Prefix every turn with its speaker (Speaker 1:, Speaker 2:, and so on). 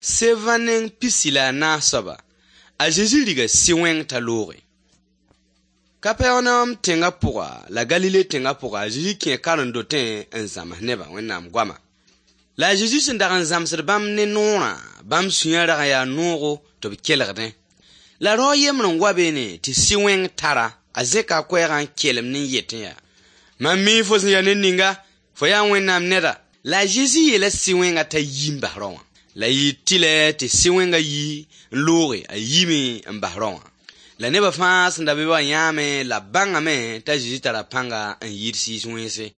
Speaker 1: Sevã neng pisi la a naas soaba, a Zezi riga sɩ-wẽng t'a looge. Kapɛrnaum tẽngã pʋga la Galile tẽngã pʋga, a Zezi kẽ karen-dotẽ n zãms nebã Wẽnnaam goama. La a Zezi sẽn dag n zãmsd bãmb ne noorã, bãmb sũyã rag n yaa noogo tɩ b kelgdẽ. La rao a yembr n wa beene tɩ sɩ-wẽng tar-a. A zẽka a koɛɛgã n kelemd n yetẽ yaa: Mam mii fo sẽn ya ned ninga, fo yaa Wẽnnaam neda. La a Zezi yeela sɩ-wẽngã t'a yi n bas rao wã. La yɩɩ tɩlɛ tɩ sɩ-wẽngã yi n looge, a yiime n bas rao wã. La nebã fãa sẽn da be wã yãame la b bãngame t'a Zezi tara pãnga n yiid sɩɩs wẽnse.